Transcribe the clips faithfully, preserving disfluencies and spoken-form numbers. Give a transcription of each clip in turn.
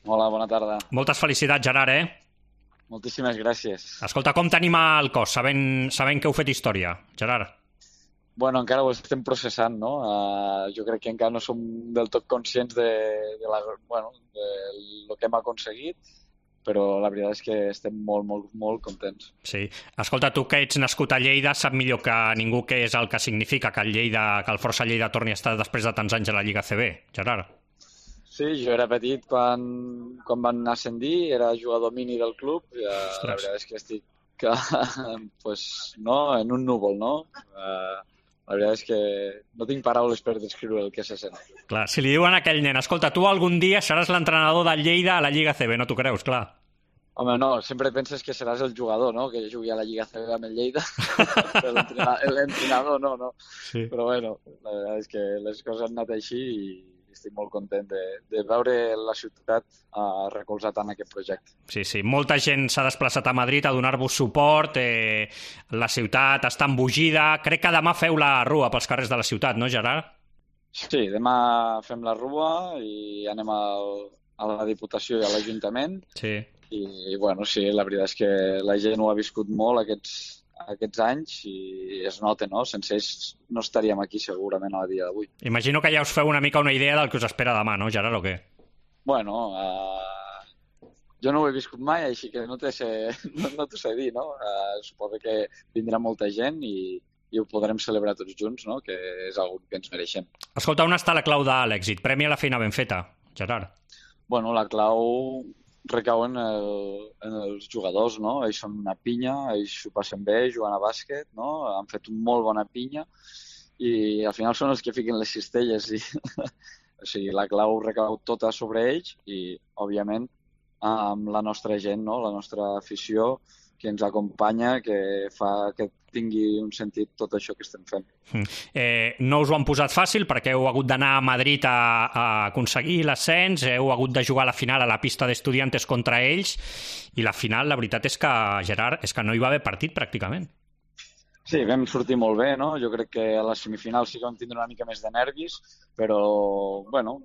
Hola, bona tarda. Moltes felicitats, Gerard, eh? Moltíssimes gràcies. Escolta, com t'anima el cos, sabent, sabent que heu fet història, Gerard? Bueno, encara ho estem processant, no? Uh, jo crec que encara no som del tot conscients de, de, la, bueno, de lo que hem aconseguit, però la veritat és que estem molt, molt, molt contents. Sí. Escolta, tu que ets nascut a Lleida, sap millor que ningú què és el que significa que el, Lleida, que el Força Lleida torni a estar després de tants anys a la Lliga A C B, Gerard. Sí, jo era petit quan, quan van ascendir, era jugador mini del club, i uh, la veritat és que estic que, pues, no, en un núvol, no? Uh, La veritat és que no tinc paraules per descriure el que se sent. Clar, si li diuen a aquell nen, escolta, tu algun dia seràs l'entrenador del Lleida a la Lliga A C B, no t'ho creus, clar. Home, no, sempre penses que seràs el jugador, no?, que jugui a la Lliga A C B amb el Lleida. L'entrenador no, no. Sí. Però bueno, la veritat és que les coses han anat així i estic molt content de, de veure la ciutat uh, recolzat en aquest projecte. Sí, sí. Molta gent s'ha desplaçat a Madrid a donar-vos suport. Eh, la ciutat està embogida. Crec que demà feu la rua pels carrers de la ciutat, no, Gerard? Sí, demà fem la rua i anem al, a la Diputació i a l'Ajuntament. Sí. I, bueno, sí, la veritat és que la gent ho ha viscut molt aquests, aquests anys i es nota, no? Sense ells no estaríem aquí segurament a dia d'avui. Imagino que ja us feu una mica una idea del que us espera demà, no, Gerard, o què? Bueno, uh, jo no ho he viscut mai, així que no t'ho sé, no, no t'ho sé dir, no? Uh, suposo que vindrà molta gent i, i ho podrem celebrar tots junts, no? Que és una que ens mereixem. Escolta, on està la clau de l'èxit? Premi a la feina ben feta, Gerard. Bueno, la clau recau en, el, en els jugadors, no? Ells són una pinya, ells ho passen bé, jugant a bàsquet, no? Han fet una molt bona pinya i al final són els que fiquen les cistelles i o sigui, la clau recau tota sobre ells i, òbviament, amb la nostra gent, no? La nostra afició que ens acompanya, que fa que tingui un sentit tot això que estem fent. Eh, no us ho han posat fàcil perquè heu hagut d'anar a Madrid a, a aconseguir l'ascens, heu hagut de jugar a la final a la pista d'Estudiantes contra ells i la final, la veritat és que, Gerard, és que no hi va haver partit pràcticament. Sí, vam sortir molt bé, no? Jo crec que a la semifinal sí que vam tindre una mica més de nervis, però, bueno,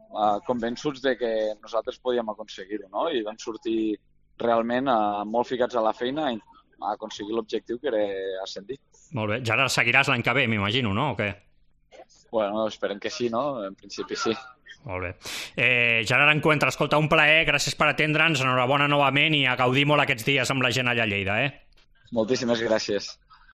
convençuts de que nosaltres podíem aconseguir-ho, no? I vam sortir realment eh, molt ficats a la feina a aconseguir l'objectiu que era ascendir. Molt bé. Gerard, seguiràs l'any que ve, m'imagino, no? O què? Bueno, esperem que sí, no? En principi sí. Molt bé. Eh, Gerard Encuentra, escolta, un plaer, gràcies per atendre'ns, enhorabona novament i a gaudir molt aquests dies amb la gent allà a Lleida, eh? Moltíssimes gràcies.